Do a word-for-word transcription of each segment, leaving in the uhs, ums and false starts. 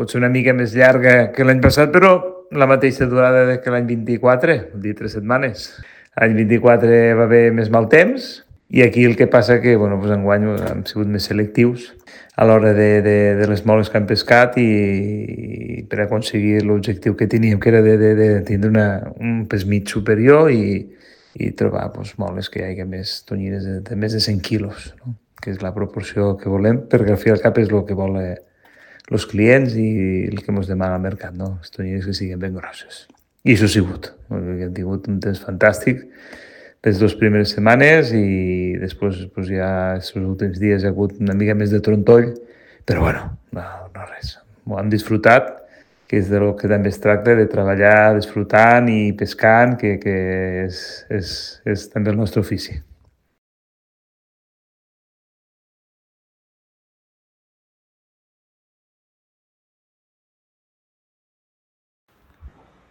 Pot ser una mica més llarga que l'any passat, però la mateixa durada que l'any vint-i-quatre, vol dir tres setmanes. L'any vint-i-quatre va haver més mal temps i aquí el que passa que, bueno, doncs enguany hem sigut més selectius a l'hora de, de, de les moles que hem pescat i, i per aconseguir l'objectiu que teníem, que era de, de, de tindre una, un pes mig superior i, i trobar doncs, moles que hi hagi més tonyines de, de més de cent quilos, no? Que és la proporció que volem, perquè al fi i al cap és el que volen els clients i el que ens demana al mercat, no? Les tonyines que siguin ben grosses. I això ha sigut. Hem tingut un temps fantàstic les dues primeres setmanes i després pues, ja els últims dies hi ha hagut una mica més de trontoll, però bueno, no, no res. Ho hem disfrutat, que és del que també es tracta, de treballar disfrutant i pescant, que, que és, és, és també el nostre ofici.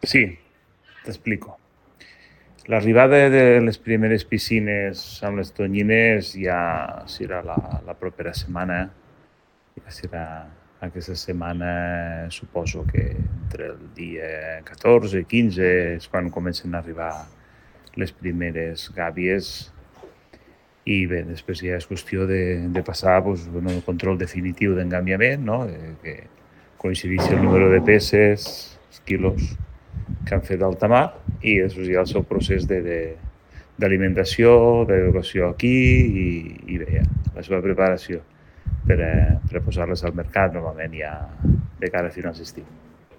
Sí, t'explico. L'arribada de les primeres piscines amb les tonyines ja serà la, la propera setmana. Ja serà aquesta setmana, suposo que entre el dia catorze i quinze és quan comencen a arribar les primeres gàbies i bé, després ja és qüestió de, de passar pues, bueno, el control definitiu d'engambiament, no? De, que coincideixi el número de peces, els quilos que han fet d'alta mar i després hi ha el seu procés de, de, d'alimentació, d'educació aquí i, i bé, ja, la seva preparació per, eh, per posar-les al mercat normalment ja de cara a finals d'estiu.